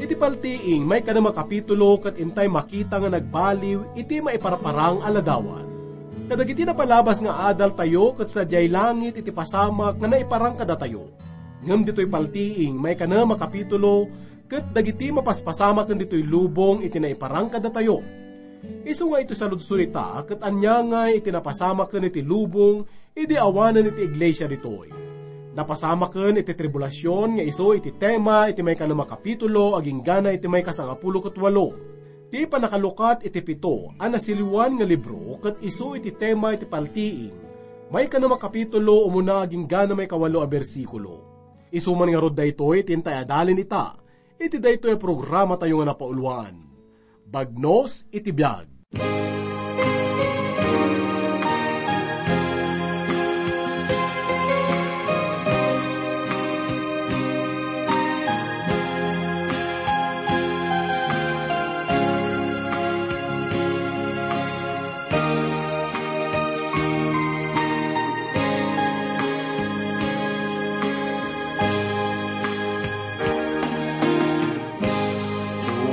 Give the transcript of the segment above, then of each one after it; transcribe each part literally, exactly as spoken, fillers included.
Iti paltiing, maikano a kapitulo ket intay makita nga nagbaliw iti maiparparang a ladawan. Kadagiti napalabas nga adaltayo ket sadiay langit iti pasamak nga naiparang kadatayo. Ngem ditoy paltiing, maikano a kapitulo ket dagiti mapaspasamaken ditoy lubong iti naiparang kadatayo. Isu nga iti saludsod ita ket aniangay iti napasamaken iti lubong idi awanen iti iglesia ditoy. Napasamaken iti tribulasion nga isu iti tema iti maikano a kapitulo agingga iti maikasangapulo ket walo. Ti pannakalukat iti pito a nasiliwan nga libro ket isu iti tema iti paltiing. Maikano a kapitulo umuna agingga maikawalo a bersikulo. Isu man ngarud daytoy ti intay adalin ita iti daytoy a programatayo nga napauloan, Bagnos iti Biag.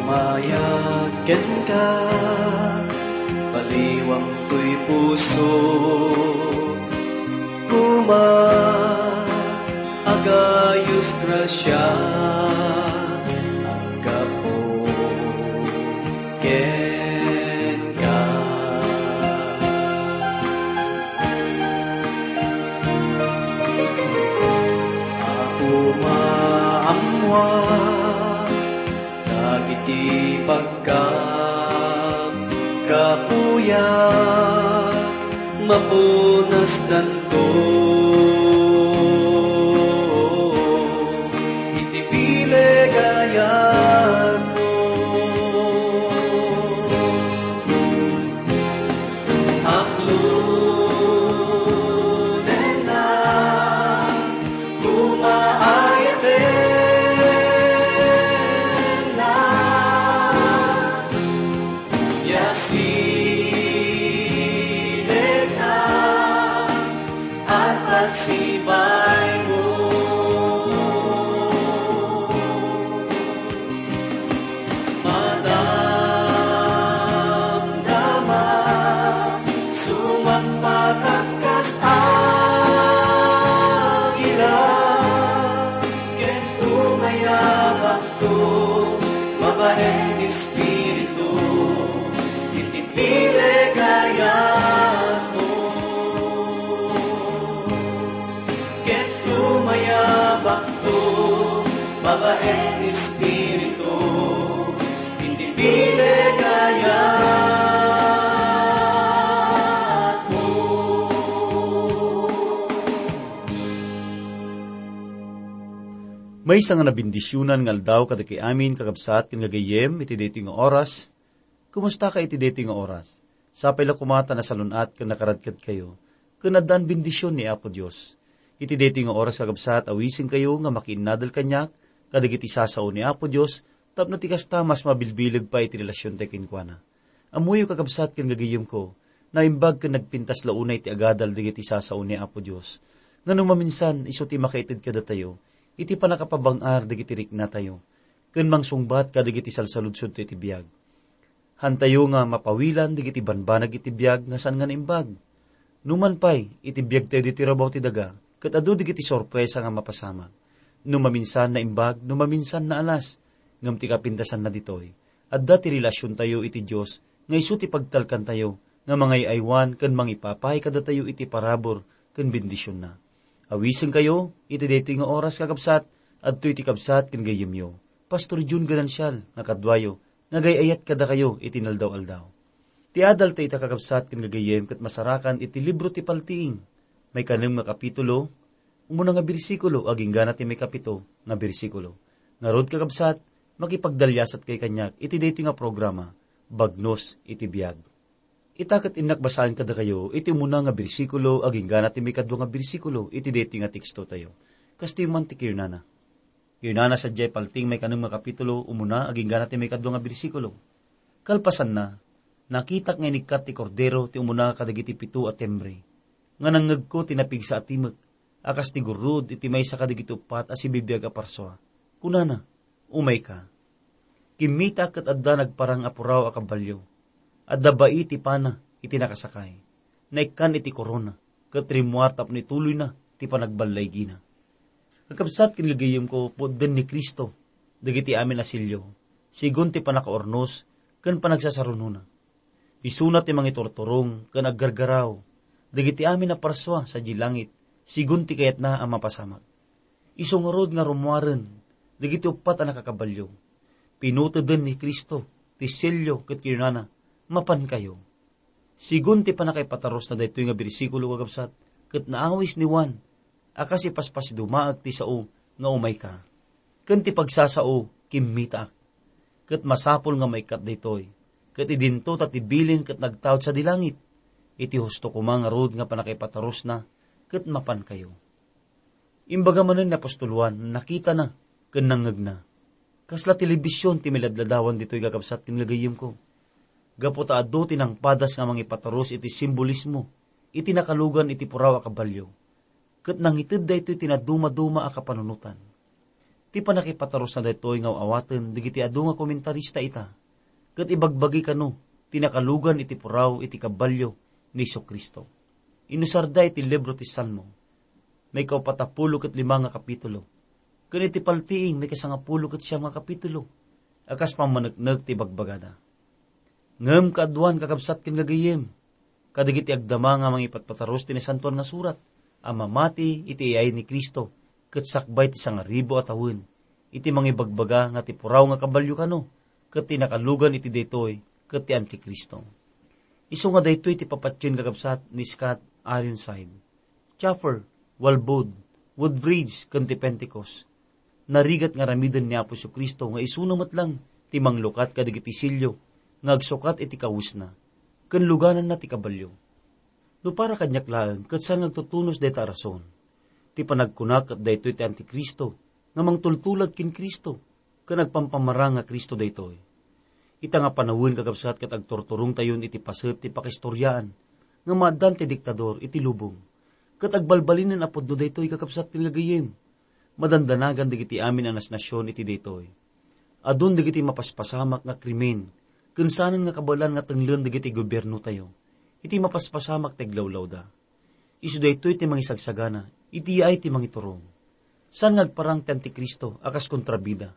Umayag kenka, baliwam toy puso. Kuma, agayos grasia, aggapu kenka. Apo, maammoak dagiti pagkapkapuyak, mapunasdanto iti bileg a yatmo. Aklonenna, kuma, ayatenna, ya silegna, at agsibaymo. Madamdama, sumagpakak kas agila, ken tumayabakto, babaen Espiritu, iti bileg a yatmo. Ket tumayabakto, babaen Espiritu, iti bileg a yatmo. Maysa nga nabendisionan nga aldaw kadagiti amin, kakabsat ken gagayyem, iti daytoy nga oras. Kumustaka iti daytoy nga oras? Sapay la koma ta nasalun-at ken nakaradkadkayo, ken addaan bendision ni Apo Dios. Iti daytoy nga oras, kakabsat, awisenkayo nga makiinnadal kaniak kadagiti sasao ni Apo Dios, tapno ti kasta, mas mabilbileg pay ti relasiontayo kenkuana. Ammoyo, kakabsat ken gagayyemko, naimbag ken nagpintas la unay ti agadal dagiti sasao ni Apo Dios, nga no maminsan, isu ti makaited kadatayo iti pannakapabang-ar dagiti riknatayo, ken mangsungbat kadagiti salsaludsodtayo iti biag. Hantayo nga mapawilan dagiti banbanag iti biag nga saan nga naimbag. Numan pay, iti biagtayo ditoy rabaw ti daga, ket adu dagiti sorpresa nga mapasamak. No maminsan naimbag, no maminsan naalas, ngem ti kapintasanna ditoy, adda ti relasiontayo iti Dios nga isu ti pagtalkantayo nga mangay-aywan ken mangipapay kadatayo iti parabur ken bendisionna. Awisenkayo iti daytoy nga oras, kakabsat, adtoy ti kabsat ken gayyemyo, Pastor Jun Ganancial, nga kaduayo, nga agay-ayat kadakayo iti inaldaw-aldaw. Ti adaltayo ita, kakabsat ken gagayyem, ket masarakan iti libro ti Paltiing, maikanem nga kapitulo, umuna nga bersikulo, agingga ti maikapito nga bersikulo. Ngarud, kakabsat, makipagdaliasatkayo kaniak iti daytoy nga programa, Bagnos iti Biag. Ita ket innak basaen kadakayo iti umuna nga bersikulo, agingga ti maikadua nga bersikulo iti daytoy nga tekstotayo. Kastoy man ti kirnana. Kirnana sadiay Paltiing maikanem nga kapitulo, umuna, agingga ti maikadua nga bersikulo. Kalpasanna, nakitak nga inikkat ti Kordero ti umuna kadagiti pito a timbre. nga nangngegko ti napigsa a timek a kas ti gurrud iti maysa kadagiti uppat a sibibiag a parsua. Kunana, "Umayka." Kimmitaak ket adda nagparang a puraw a kabalio. Adda bai ti pana iti nakasakay. Naikkan iti korona, ket rimmuar tapno ituloyna ti panagballaygina. Kakabsat ken gagayyemko, pudden ni Cristo dagiti amin a sello, sigun ti pannakaurnos ken panagsasarunona. Isuna ti mangiturturong ken aggargaraw dagiti amin a parsua sadiay langit, sigun ti kayatna a mapasamak. Isu ngarud nga rummuaren dagiti uppat a nakakabalio. Pinuteden ni Cristo ti sello ket kinunana, "Mapankayo." Sigun ti pannakaipatarusna daytoy nga bersikulo, kakabsat, ket naawis ni Juan a kas ipaspasidumaak ti sao nga "Umayka." Ken ti pagsasao, "Kimmitaak." Ket masapul nga maikkat daytoy, ket idinto ta ti bilin ket nagtaud sadi langit. Iti husto koma ngarud nga pannakaipatarusna, ket mapankayo. Imbaga manen ni apostol Juan, nakitana ken nangngegna. Kasla telebision ti miladladawan ditoy, kakabsat ken gagayyemko. Gapu ta adu ti nangpadas nga mangipaturus iti simbolismo iti nakalugan iti puraw a kabalio, ket nangited daytoy ti nadumaduma a kapanunotan. Ti pannakipaturusna daytoy nga aw-awaten dagiti adu nga komentarista ita, ket ibagbagi kano ti nakalugan iti puraw iti kabalio ni Jesu-Cristo. Inusarda iti libro ti Salmo, maikaupat a pulo ket lima nga kapitulo, ken iti Paltiing, maikasangapulo ket siam nga kapitulo, a kas pammaneknek ti bagbagada. Ngem kaaduan, kakabsat ken gagayyem, kadagiti agdama nga mangipatpatarus ti Nasantoan nga Surat a mamati iti iyay ni Cristo ket sakbay ti sangaribu a tawen, iti mangibagbaga nga ti puraw nga kabalio kano ket ti nakalugan iti daytoy ket ti Antikristo. Isu nga daytoy ti papatien, kakabsat, ni Scott Ironside, Chafer, Walbod, Woodbridge, ken ti Pentecost. Narigat nga aramiden ni Apo Jesu-Cristo nga isuna met lang ti manglukat kadagiti sello nga agsukat iti kawesna, ken lugananna ti kabalio. No para kaniak laeng, ket saan nga agtutunos dayta a rason. Ti panagkuna ket daytoy ti Antikristo nga mangtultulag ken Cristo, ken agpampamarang nga Cristo daytoy. Ita nga panawen, kakabsat, ket agturturongtayon iti paset ti pakaistoriaan nga maaddaan ti diktador iti lubong. Ket agbalbalinan a pudno daytoy, kakabsat ken gagayyem. Madandanagan dagiti amin a nasnasion iti daytoy. Adun dagiti mapaspasamak nga krimen, ken saanen nga kabaelan nga tenglen dagiti gobiernotayo iti mapaspasamak ti aglawlawda. Isu daytoy ti mangisagsagana iti yaay ti mangiturong. Saan nga agparang ti Antikristo a kas kontrabida,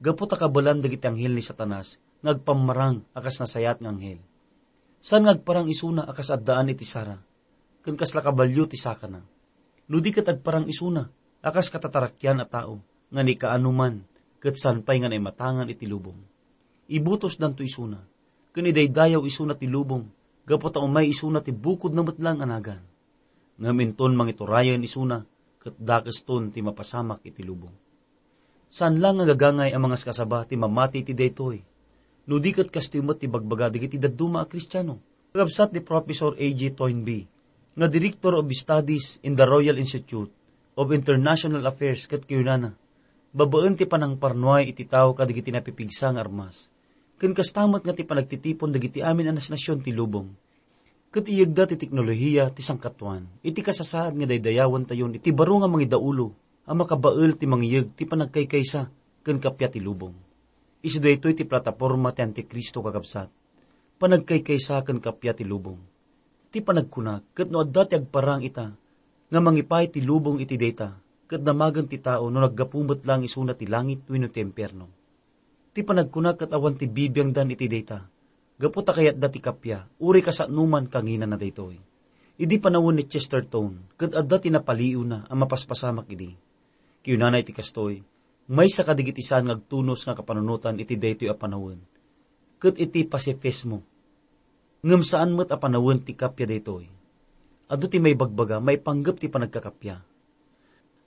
gapu ta kabaelan dagiti anghel ni Satanas nga agpammarang a kas nasayaat nga anghel. Saan nga agparang isuna a kas addaan iti sara, ken kasla kabalio ti sakana. No di ket agparang isuna a kas katatarakian a tao nga nikaanoman ket saan pay nga naimatangan iti lubong. Ibutosdanto isuna, ken idaydayaw isuna ti lubong, gapu ta umay isuna ti bukodna met laeng a nagan. Ngem inton mangiturayen isuna, ket dakeston ti mapasamak iti lubong. Saan la nga gagangay a mangaskasaba ti mamati iti daytoy. No di ket kastoy met ti bagbaga dagiti dadduma a Kristiano. Kakabsat ni Professor A J Toynbee, nga Director of Studies in the Royal Institute of International Affairs, ket kinunana, babaen ti panangparnuay iti tao kadagiti napipigsa nga armas, ken kasta met nga ti panagtitipon dagiti amin a nasnasion ti lubong. Ket iyegda ti teknolohiya ti sangkatuan iti kasasaad nga daydayawentayon iti baro nga mangidaulo a makabael ti mangiyeg ti panagkaykaysa ken kappia ti lubong. Isu daytoy ti plataporma ti Antikristo, kakabsat. Panagkaykaysa ken kappia ti lubong. Ti panagkuna, ket no adda ti agparang ita nga mangipay ti lubong iti dayta, ket damagen ti tao no naggapu met laeng isuna ti langit wenno ti impierno. Ti panagkuna ket awan ti bibiangdan iti dayta, gapu ta kayatda ti kappia, uray kasanoman kanginana daytoy. Idi panawen ni Chesterton, ket adda ti napaliiwna a mapaspasamak idi. Kinunana iti kastoy, maysa kadagiti saan nga agtunos nga kapanunotan iti daytoy a panawen, ket iti pacifismo. Ngem saan met a panawen ti kappia daytoy. Adu ti maibagbaga maipanggep ti panagkakappia.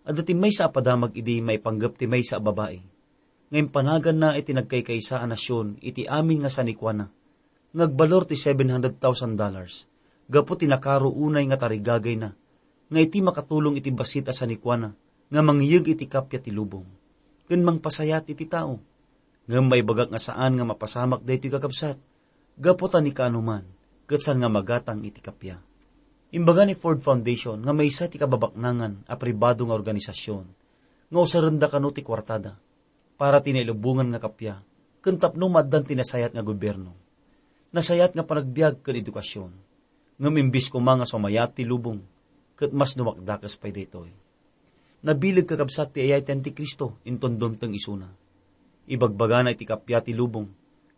Adda ti maysa a padamag idi maipanggep ti maysa a babai nga impanaganna iti nagkaykaysa a nasion iti amin nga sanikuana nga agbalor ti seven hundred thousand dollars gapu ti nakaro unay nga tarigagayna nga iti makatulong iti bassit a sanikuana nga mangiyeg iti kappia ti lubong ken mangpasayat iti tao. Ngem maibagak nga saan nga mapasamak daytoy, kakabsat, gapu ta ni kaanoman ket saan nga magatang iti kappia. Imbaga ni Ford Foundation nga maysa ti kababaknangan a pribado nga organisasyon nga usarenda kano ti kuartada para ti nailubongan nga kappia ken tapno maaddan ti nasayat nga gobierno, nasayat nga panagbiag ken edukasyon. Ngem imbes koma nga sumayat ti lubong, ket mas dumakdakes pay daytoy. Nabileg kakabsat ti ayay ti Antikristo inton dumteng isuna. Ibagbagana iti kappia ti lubong,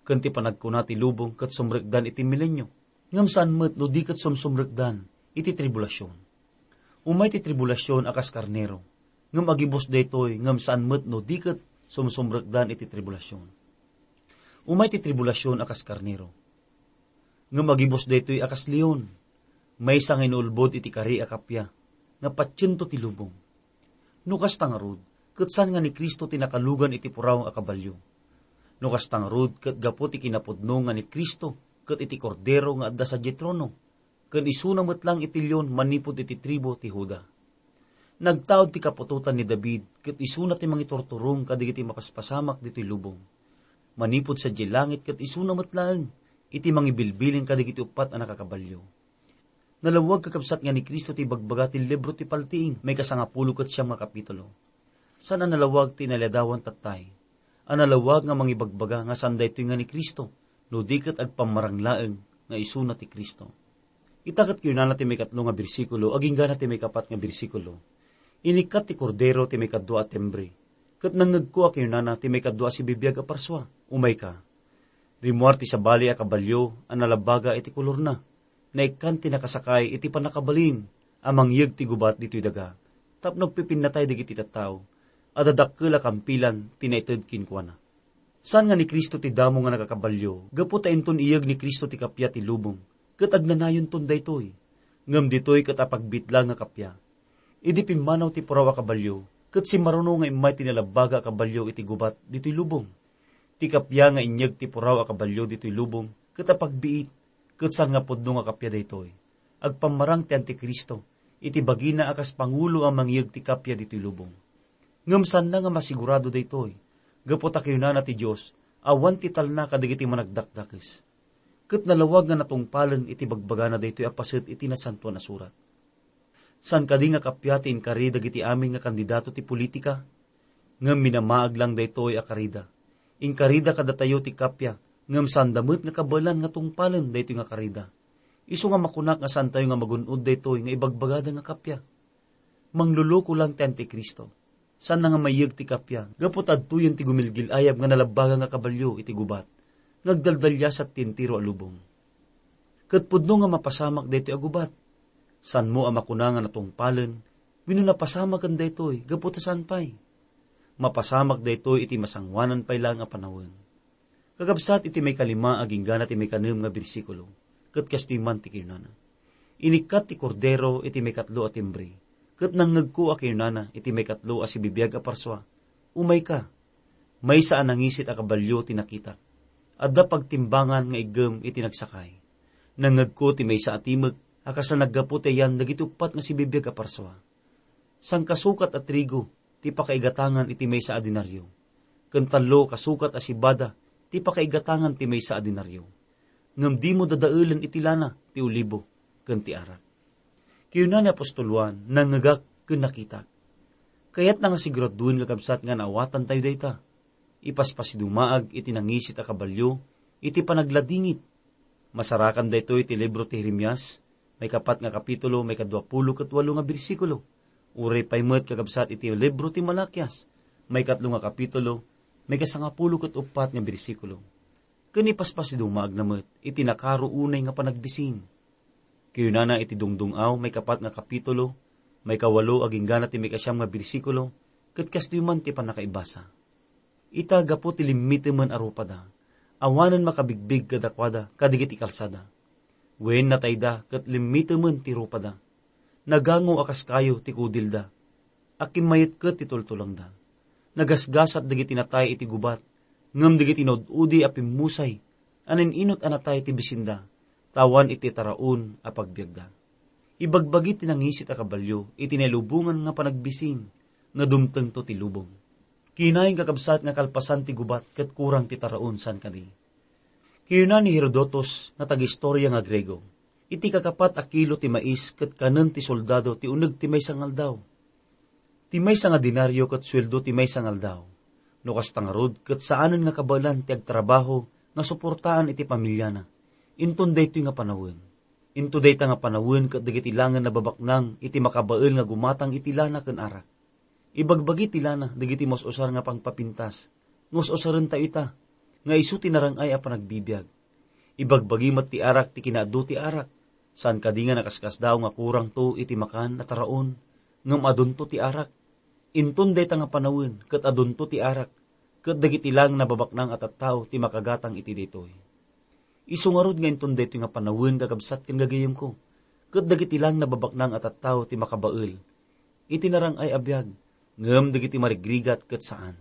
ken ti panagkuna ti lubong ket sumrekdan iti milenio. Ngem saan met no di ket sumsumrekdan iti tribulasion. Umay ti tribulasion a kas karnero, ngem agibus daytoy ngem saan met no di ket sumsumrekdan iti tribulasion. Umay ti tribulasion a kas karnero, ngem agibus daytoy a kas leon, maysa nga inulbod iti kari a kappia, nga patiento ti lubong. No kasta ngarud, ket saan nga ni Cristo ti nakalugan iti puraw a kabalio. No kasta ngarud, ket gapu ti kinapudno nga ni Cristo ket iti Kordero nga adda sadiay trono, ken isuna met laeng iti leon manipud iti tribu ti Juda. Nagtaud ti kaputotan ni David, ket isuna ti mangiturturong kadagiti mapaspasamak ditoy lubong. Manipud sadiay langit, ket isuna met laeng iti mangibilbilin kadagiti uppat a nakakabalio. Nalawag, kakabsat, nga ni Cristo ti ibagbaga ti libro ti Paltiing, maikasangapulo ket siam nga kapitulo. Saan a nalawag ti inaladawan tattay. A nalawag nga mangibagbaga nga saan daytoy nga ni Cristo, no di ket agpammarang laeng nga isuna ti Cristo. Ita ket kayunana ti maikatlo nga bersikulo, agingga na ti maikapat nga bersikulo. Inikkat ti Kordero ti maikadua a timbre, ket nangngegko a kayunana ti maikadua a sibibiag a parsua, "Umayka." Rimmuar ti sabali a kabalio a nalabaga iti kolorna. Naikkan ti nakasakay iti pannakabalin a mangyeg ti gubat ditoy daga, tapno agpipinnatay dagiti tattao a dadakkel a kampilan ti naited kenkuana. Saan nga ni Cristo ti damo nga nagakabalio, gapu ta inton iyeg ni Cristo ti kappia ti lubong, ket agnanayonton daytoy. Ngem ditoy ket apagbitla nga kappia. Idi pimmanaw ti puraw a kabalio, ket simmaruno nga immay ti nalabaga a kabalio iti gubat ditoy lubong. Ti kappia nga inyeg ti puraw a kabalio ditoy lubong, ket apagbiit, ket saan nga pudno nga kappia daytoy. Agpammarang ti Antikristo iti bagina a kas pangulo a mangyeg ti kappia ditoy lubong. Ngem saanna nga masigurado daytoy, gapu ta kinunana ti Dios, awan ti talna kadagiti managdakdakes. Ket nalawag nga natungpalen iti bagbagana daytoy a paset iti Nasantoan a Surat. Saan kadi nga kappia ti inkari dagiti amin nga kandidato ti politika? Ngem minamaag lang daytoy a karida. Inkarida kadatayo ti kappia, ngem saanda met nga kabaelan nga tungpalen daytoy nga karida. Isu nga makunak nga saantayo nga magun-od daytoy nga ibagbagada nga kappia. Mangluluko lang ti Antikristo. Saanna nga maiyeg ti kappia, gapu ta adtoyen ti gumilgil-ayab nga nalabaga nga kabalio iti gubat, nga agdaldaliasat ti entero a lubong. Ket pudno nga mapasamak daytoy a gubat. Saanmo a makuna nga natungpalen, wenno napasamaken daytoy, gapu ta saan pay. Mapasamak daytoy iti masangoanan pay laeng a panawen. Kakabsat, iti maikalima agingga na ti maikanem nga bersikulo, ket kastoy man ti kinunana, "Inikkat ti Kordero iti maikatlo a timbre, ket nangngegko a kinunana iti maikatlo a sibibiag a parsua, 'Umayka.' Maysa a nangisit a kabalio ti nakitak. Adda pagtimbangan nga iggem iti nagsakay. Nangngegko ti maysa a timek a kas a naggapu ti ayan dagiti uppat nga sibibiag a parsua. Sangkasukat a trigo ti pakaigatangan iti maysa a denario, ken tallo kasukat a sibada ti pakaigatangan ti maysa a denario. Ngem dimo dadaelen iti lana, ti olibo, ken ti arak." Kinuna ni apostol Juan, "Nangngegak ken nakitak." Kayatna nga siguradoen nga kabsat nga naawatantayo dayta. Ipaspasidumaag iti nangisit a kabalio iti panagladingit. Masarakan daytoy ti libro ti Jeremias, maikapat nga kapitulo, maikadua pulo ket walo nga bersikulo. Uray pay met kakabsat iti libro ti Malakias, maikatlo nga kapitulo, maikasangapulo ket uppat nga bersikulo. Ken ipaspasidumaagna met iti nakaro unay nga panagbisin. Kinunana iti Dungdung-aw, maikapat nga kapitulo, maikawalo agingga na ti maikasiam nga bersikulo, ket kastoy man ti pannakaibasa. Ita, gapu ti limmitemen a rupada, awanen makabigbig kadakuada kadagiti kalsada. Wen natayda ket limmitemen ti rupada. Nagango a kas kayo ti kudilda. Akimmayet ket ti tultulongda. Nagasgasat dagiti natay iti gubat, ngem dagiti naud-udi a pimmusay a nin-inut a natay ti bisinda, ta awan iti taraon a pagbiagda. Ibagbagi ti nangisit a kabalio iti nailubongan nga panagbisin nga dumtengto ti lubong. Kinayon, kakabsat, nga kalpasan ti gubat ket kurang ti taraon, saan kadi? Kinuna ni Herodotus nga tagistorya nga Griego, Iti kakapat a kilo ti mais ket kanen ti soldado ti uneg ti maysa nga aldaw. Ti maysa nga denario ket sueldo ti maysa nga aldaw. No kasta ngarud, ket saanen nga kabaelan ti agtrabaho nga suportaan iti pamiliana. Inton daytoy nga panawen. Into dayta nga panawen ket dagiti laeng nababaknang iti makabael nga gumatang iti lana ken arak. Ibagbagi ti lana dagiti mas-usar nga pangpapintas, nga us-usarentayo ita, nga isu ti narang-ay a panagbibiag. Ibagbagi met ti arak ti kinaadu ti arak, saan kadi nga nakaskasdaaw nga kurangto iti makan a taraon, ngem adunto ti arak. Inton dayta nga panawen ket adunto ti arak, ket dagiti laeng nababaknang a tattao ti makagatang iti daytoy. Isu ngarud nga inton daytoy nga panawen, kakabsat ken gagayemko, ket dagiti laeng nababaknang a tattao ti makabael iti narang-ay a biag, ngem dagiti marigrigat ket saan.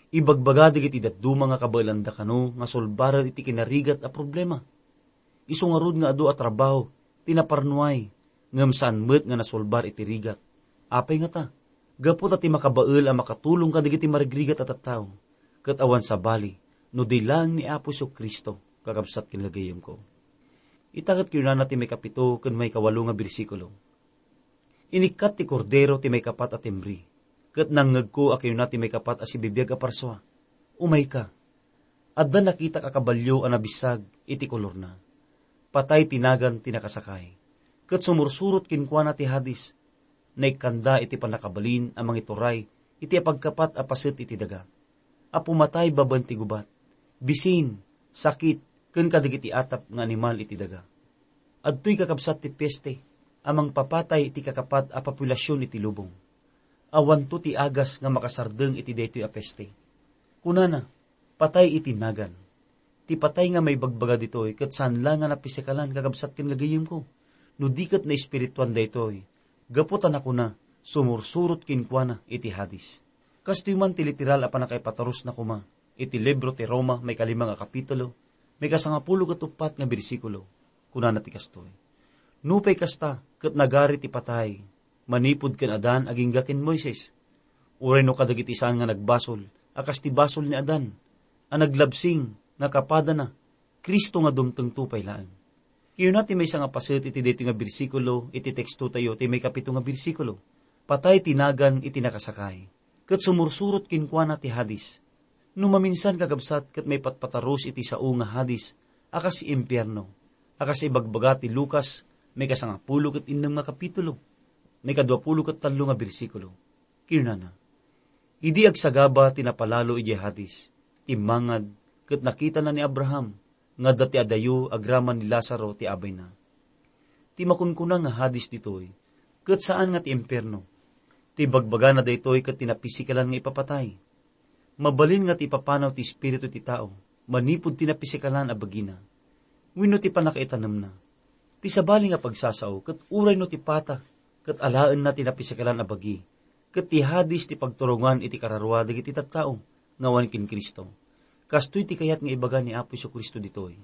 Ibagbaga dagiti dadduma nga kabaelanda kano nga sulbaren iti kinarigat a problema. Isu ngarud nga adu a trabaho ti naparnuay, ngem saan met nga nasulbar iti rigat. Apay ngata? Gapu ta ti makabael a makatulong kadagiti marigrigat a tattao, ket awan sabali no di laeng ni Apo Jesu-Cristo, kakabsat ken gagayemko. Ita ket kinunana ti maikapito ken maikawalo nga bersikulo, "Inikkat ti Kordero ti maikapat a timbre, ket nangngegko a kinuna ti maikapat a sibibiag a parsua, 'Umayka.' Adda nakitak a kabalio a nabissag iti kolorna. Patay ti nagan ti nakasakay, ket sumursurot kenkuana ti Hades. Naikkanda iti pannakabalin a mangituray iti apagkapat a paset iti daga, a pumatay babaen ti gubat, bisin, sakit, ken kadagiti atap nga animal iti daga." Adtoy, kakabsat, ti peste a mangpapatay iti kakapat a populasion iti lubong. Awanto ti agas nga makasardeng iti daytoy a peste. Kunana, patay iti nagan. Ti patay nga maibagbaga ditoy ket saan la nga napisikalan, kakabsat ken gagayemko, no di ket naespirituan daytoy, gapu ta nakuna, sumursurot kenkuana iti Hades. Kastoy man ti literal a pannakaipatarusna koma iti libro ti Roma, maikalima nga kapitulo, maikasangapulo ket uppat nga bersikulo. Kunana ti kastoy, "Nupay kasta, ket nagari ti patay manipud ken Adan agingga ken Moises, uray no kadagiti saan nga nagbasol a kas ti basol ni Adan, a naglabsing nga kapadana, Cristo nga dumtengto pay laeng." Kinuna ti maysa nga paset iti daytoy nga bersikulo iti tekstotayo, ti maikapito nga bersikulo, "Patay ti nagan iti nakasakay, ket sumursurot kenkuana ti Hades." No maminsan, kakabsat, ket maipatpatarus iti sao nga Hades a kas impierno, a kas ibagbaga ti Lucas, maikasangapulo ket innem nga kapitulo, maikaduapulo ket tallo nga bersikulo. Kinunana, "Idi agsagaba ti napalalo idiay Hades, timmangad, ket nakitana ni Abraham nga adda ti adayo agraman ni Lazaro ti abayna." Ti makunkuna nga Hades ditoy, ket saan nga ti impierno. Ti bagbagana daytoy ket ti napisikalan nga ipapatay. Mabalin nga ti ipapanaw ti espiritu ti tao manipud ti napisikalan a bagina wenno ti pannakaitanemna. Ti sabali nga pagsasao ket uray no ti pata ket alaenna ti napisikalan a bagi, ket ti Hades ti pagturongan iti kararua dagiti tattao nga awan ken Cristo. Kastoy ti kayat nga ibaga ni Apo Jesu-Cristo ditoy.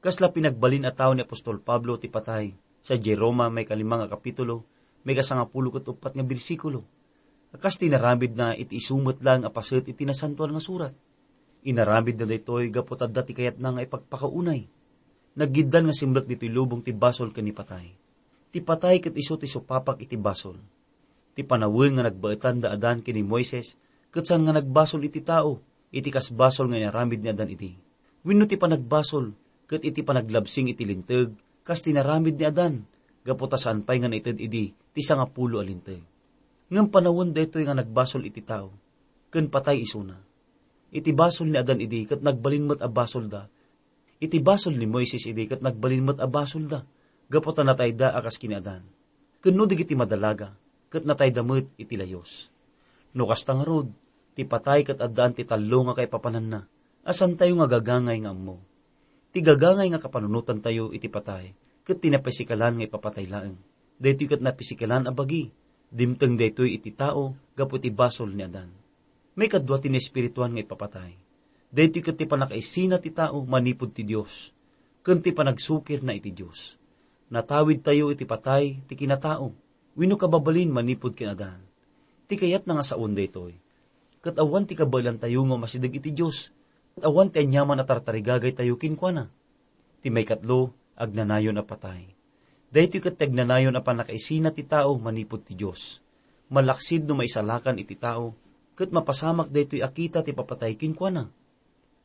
Kasla pinagbalin a tao ni apostol Pablo ti patay sadiay Roma, maikalima nga kapitulo, maikasangapulo ket uppat nga bersikulo. Kas ti inaramidna iti isu met laeng a paset iti Nasantoan nga Surat. Inaramidna daytoy gapu ta adda ti kayatna nga ipagpakaunay. Naggiddan nga simrek ditoy lubong ti basol ken ni patay. Ti patay ket isu ti supapak iti basol. Ti panawen nga nagbaetan da Adan ken ni Moises ket saan nga nagbasol iti tao iti kas basol nga inaramid ni Adan idi. Wenno ti panagbasol ket iti panaglabsing iti Linteg kas ti inaramid ni Adan, gapu ta saan pay nga naited idi ti sangapulo a Linteg. Ngem panawen daytoy nga nagbasol iti tao ken patay isuna. Iti basol ni Adan idi ket nagbalin met a basolda. Iti basol ni Moises idi ket nagbalin met a basolda, gapu ta natayda a kas ken ni Adan. Ken no dagiti madalaga, ket natayda met iti layus. No kasta ngarud, ti patay ket addaan ti tallo nga kaipapananna, a saantayo nga gagangay nga ammo. Ti gagangay nga kapanunotantayo iti patay, ket ti napisikalan nga ipapatay laeng. Daytoy ket napisikalan a bagi, dimteng daytoy iti tao gapu iti basol ni Adan. Maikadua ti naespirituan nga ipapatay. Daytoy ket ti pannakaisina ti tao manipud ti Dios, ken ti panagsukirna iti Dios. Natawidtayo iti patay ti kinatao, wenno kababalin manipud ken Adan. Ti kayatna nga saon daytoy, ket awan ti kabaelantayo nga umasideg iti Dios, ket awan ti aniaman a tartarigagaytayo kenkuana. Ti maikatlo, agnanayon a patay. Daytoy ket ti agnanayon a pannakaisina ti tao manipud ti Dios. Malaksid no maisalakan iti tao, ket mapasamak daytoy a kita ti papatay kenkuana.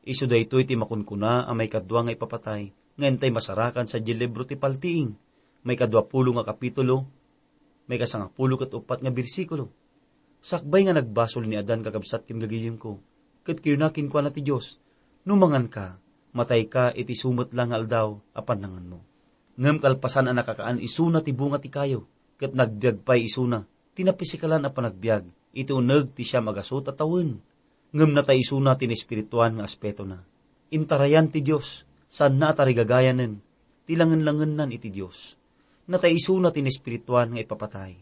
Isu daytoy ti makunkuna a maikadua nga ipapatay nga intay masarakan sadiay libro ti Paltiing, maikadua pulo nga kapitulo, maikasangapulo ket uppat nga bersikulo. Sakbay nga nagbasol ni Adan, kakabsat ken gagayemko, ket kinuna kenkuana ti Dios, "No manganka, matayka iti isu met la nga aldaw a pannanganmo." Ngem kalpasan a nakakaan isuna ti bunga ti kayo, ket nagbiag pay isuna ti napisikalan a panagbiag iti uneg ti siam a gasut a tawen. Ngem natay isuna ti naespirituan nga aspetona. Intarayan ti Dios, saanna a tarigagayanen ti langen-langennan iti Dios. Natay isuna ti naespirituan nga ipapatay.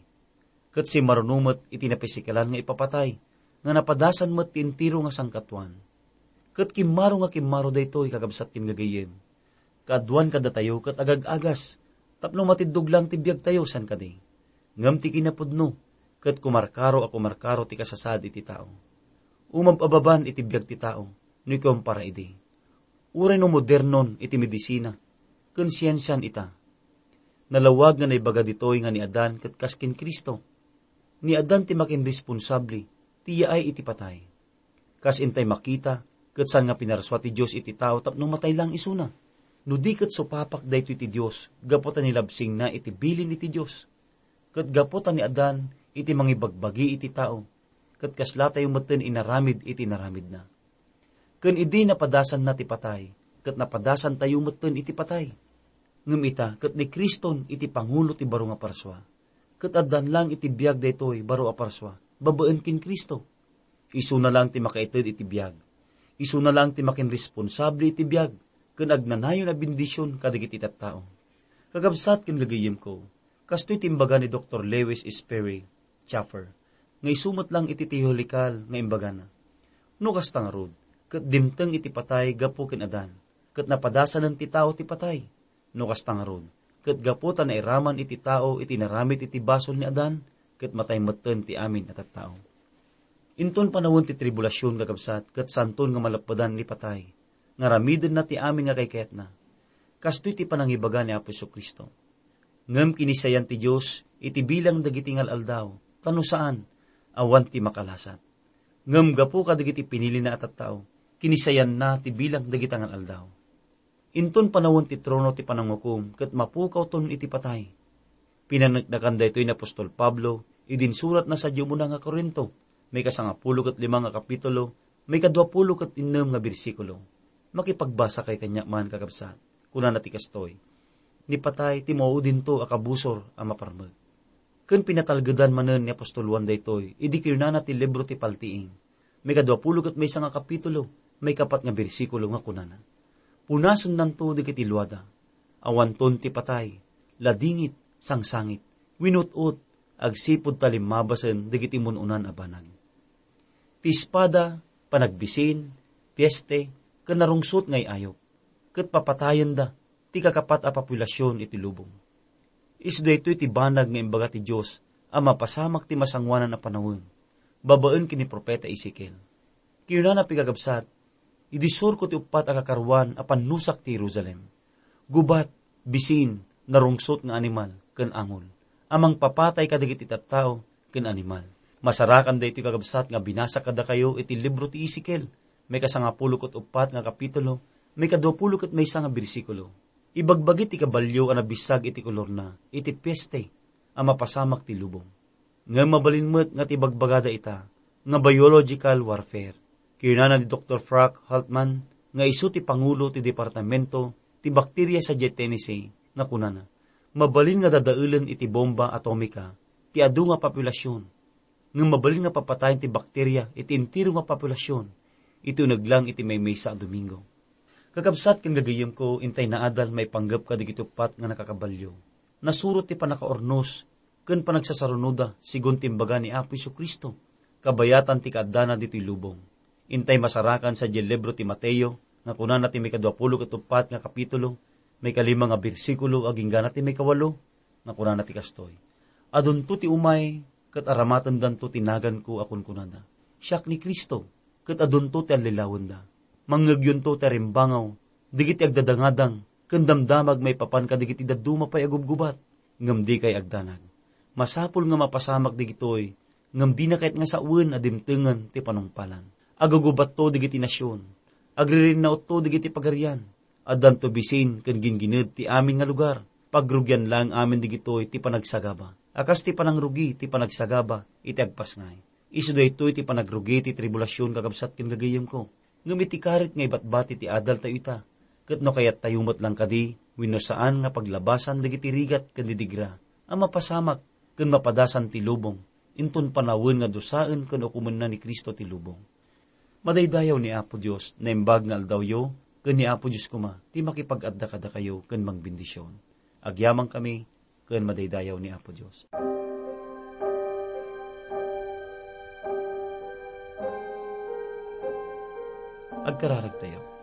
Ket simmaruno met iti napisikalan nga ipapatay, nga napadasan met ti entero nga sangkatuan. Ket kimmaro nga kimmaro daytoy, kakabsat ken gagayem. Kaaduan kadatayo ket agag-agas, tapno matiddog lang ti biagtayo, saan kadi? Ngem ti kinapudno, ket kumarkaro a kumarkaro ti kasasaad iti tao. Umab-ababan iti biag ti tao, no ikumpara idi. Uray no modernon iti medisina, ken siensian ita. Nalawag nga naibaga ditoy nga ni Adan ket kas ken Cristo. Ni Adan ti makinresponsable ti yaay iti patay. Kas intay makita, ket saan nga pinarsua ti Dios iti tao tapno matay lang isuna. No di ket supapak daytoy ti Dios, gapu ta nilabsingna iti bilin iti Dios. Ket gapu ta ni Adan iti mangibagbagi iti tao, ket kasla tayo metten inaramid iti inaramidna. Ken idi napadasanna ti patay, ket napadasan tayo metten iti patay. Ngem ita, ket ni Kriston iti pangulo ti baro nga parsua. Ket addan lang iti biag daytoy baro a parsua, babaen ken Cristo. Isuna lang ti makaited iti biag. Isuna lang ti makinresponsable iti biag, ken agnanayon a bendision kadagiti tattao. Kakabsat ken gagayemko, kastoy ti imbaga ni Doktor Lewis Sperry Chafer, nga isu met lang iti teological nga imbagana. No kasta ngarud, ket dimteng iti patay gapu ken Adan, ket napadasanen ti tao ti patay. No kasta ngarud, ket gapu ta nairaman iti tao iti naramid iti basol ni Adan, ket matay metten ti amin a tattao. Inton panawen ti tribulasion, kakabsat, ket santon nga malappedan ni patay, nga aramidenna ti amin nga kaikayatna. Kastoy ti panangibaga ni Apo Jesu-Cristo. Ngem kinisayan ti Dios iti bilang dagiti ngal-aldaw, ta no saan, awan ti makalasat. Ngem gapu kadagiti pinilina a tattao, kinisayanna ti bilang dagiti ngal-aldaw. Inton panawen ti trono ti panangukom ket mapukawton iti patay. Pinaneknakan daytoy ni apostol Pablo idi insuratna sadiay umuna nga Corinto, maikasangapulo ket lima nga kapitulo, maikaduapulo ket innem nga bersikulo. Makipagbasakay kaniak man, kakabsat. Kunana ti kastoy, "Ni patay ti mauudinto a kabusor a maparmek." Ken pinatalgedan manen ni apostol Juan daytoy idi kinunana ti libro ti Paltiing, maikaduapulo ket maysa nga kapitulo, maikapat nga bersikulo nga kunana, "Punasennanto dagiti luada. Awanton ti patay, ladingit, sangsangit, winut-ot, agsipud ta limmabasen dagiti mun-unan a banag." Ti espada, panagbisin, pieste, ken narungsot nga ay-ayop, ket papatayenda ti kakapat a populasion iti lubong. Isu daytoy ti banag nga imbaga ti Dios a mapasamak ti masangoanan a panawen, babaen ken ni profeta Ezekiel. Kinunana, pikagabsat, "Idi surko ti uppat a kakaruan a pannusak ti Jerusalem. Gubat, bisin, narungsot nga animal, ken angol, a mangpapatay kadagiti tattao ken animal." Masarakan daytoy, kakabsat, nga binasak kadakayo iti libro ti Ezekiel, maikasangapulo ket uppat nga kapitulo, maikaduapulo ket maysa nga bersikulo. Ibagbagi ti kabalio a nabissag iti kolorna iti pieste a mapasamak ti lubong. Ngem mabalin met nga ti bagbagada ita nga biological warfare. Kinunana ni Doktor Frank Haltman nga isu ti pangulo ti Departamento ti Bakteria sadiay Tennessee nga kunana, "Mabalin nga dadaelen iti bomba atomika ti adu nga populasion, ngem mabalin nga papatayen ti bakteria iti entero nga populasion iti uneg lang iti maymaysa a Domingo." Kakabsat ken gagayemko, intay naadal maipanggep kadagiti uppat nga nakakabalio. Nasurot ti pannakaurnos ken panagsasarunoda, sigun ti imbaga ni Apo Jesu-Cristo, kabayatan ti kaaddana ditoy lubong. Intay masarakan sadiay libro ti Mateo, nga kunana ti maikaduapulo ket uppat nga kapitulo, maikalima nga bersikulo, agingga na ti maikawalo, nga kunana ti kastoy, "Adunto ti umay ket aramatendanto ti naganko a kunkunada, 'Siak ni Cristo,' ket adunto ti allilawenda. Mangngegyonto ti arimbangaw dagiti agdadangadang ken damdamag maipapan kadagiti dadduma pay a gubgubat, ngem dikay agdanag. Masapul nga mapasamak dagitoy, ngem dina kayat nga sawen a dimtengen ti panungpalan. Agugubatto dagiti nasion, agririnnautto dagiti pagarian, addanto bisin ken gingined ti amin nga lugar. Pagrugian laeng amin dagitoy ti panagsagaba, a kas ti panangrugi ti panagsagaba iti agpasngay. Isu daytoy ti panagrugi ti tribulasion, kakabsat ken gagayyemko. Ngem iti karit nga ibatbati ti adaltayo ita, ket no kayattayo met lang kadi wenno saan nga paglabasan dagiti rigat ken didigra a mapasamak ken mapadasan ti lubong, inton panawen nga dusaen ken ukomenna ni Cristo ti lubong. Madaydayaw ni Apo Dios, naimbag nga aldawyo, ken ni Apo Dios koma ti makipag-adda kadakayo ken mangbendision. Agyamankami ken madaydayaw ni Apo Dios. Agkararagtayo.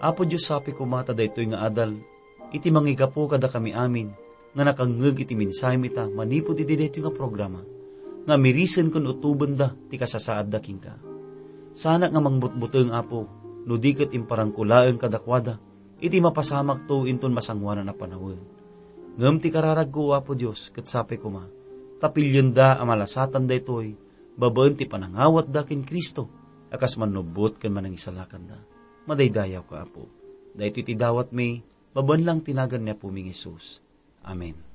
Apo Dios, sapay koma ta daytoy nga adal iti mangigapu kadakami amin nga nakangngeg iti mensahem ita manipud iti daytoy nga programa, nga mirisen ken utobenda ti kasasaadda kenka. Sanak nga mangbutbuteng, Apo, no di ket imparangko laeng kadakuada iti mapasamakto inton masangoanan a panawen. Ngem ti kararagko, Apo Dios, ket sapay koma, ta pilienda a malasatan daytoy babaen ti panangawatda ken Cristo, a kas mannubbot ken manangisalakanda. Madaydayawka, Apo. Daytoy ti dawatmi, babaen lang ti nagan ni Apomi nga Jesus. Amen.